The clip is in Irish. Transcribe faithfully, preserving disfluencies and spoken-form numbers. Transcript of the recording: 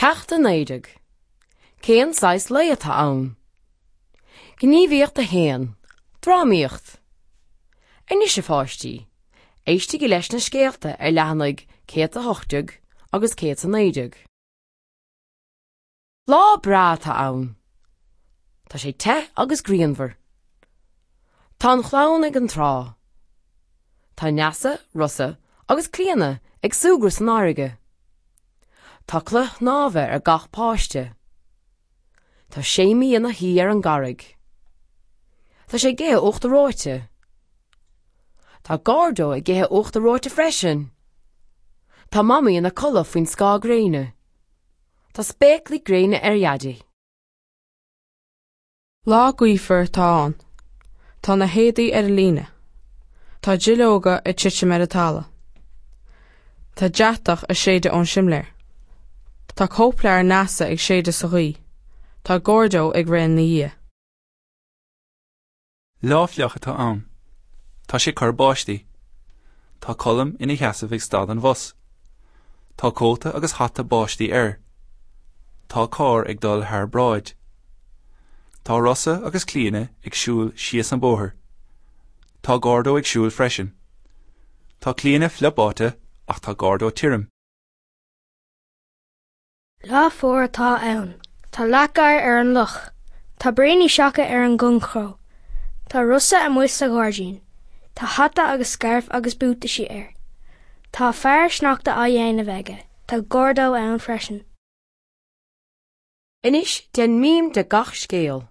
Ceacht a naoi déag. Cén saghas lae atá ann? Gníomhaíocht a haon. Drámaíocht. Anois a pháistí, éistigí leis na scéalta ar leathanaigh céad a hocht déag agus céad a naoi déag. Lá breá atá ann. Tá sé te agus grianmhar. Tá an chlann ag an trá. Tá Neasa, Rosa agus Clíona ag súgradh san fharraige. Tá cloich shnámha ar gach páiste. Tá Séimí ina shuí ar an gcarraig. Tá sé ag ithe uachtar reoite. Tá Gordo ag ithe uachtar reoite freisin. Tá Mamaí ina codladh faoin scáth gréine. Tá spéaclaí gréine ar Dhaidí. Lá gaofar atá ann. Tá na héadaí ar an líne. Tá duilleoga ag titim ar an talamh. Tá deatach ag séideadh ón simléar. Tá cóipleabhar Neasa ag séideadh sa ghaoth. Tá Gordo ag rith ina dhiaidh. Lá fliuch atá ann. Tá sé ag cur báistí. Tá Colm ina sheasamh ag stad an bhus. Tá cóta agus hata báistí air. Tá carr ag dul thar bráid. Tá Rosa agus Clíona ag siúl síos an bóthar. Tá Gordo ag siúl freisin. Tá Clíona fliuch báite ach tá Gordo tirim. Lá fuar atá ann. Tá leac oighir ar an loch. Tá braoiní seaca ar an gcoinchró. Tá Rosa amuigh sa ghairdín. Tá hata agus scairf agus buataisí air. Tá fear sneachta á dhéanamh aige. Tá Gordo ann freisin. Anois déan mím de gach scéal.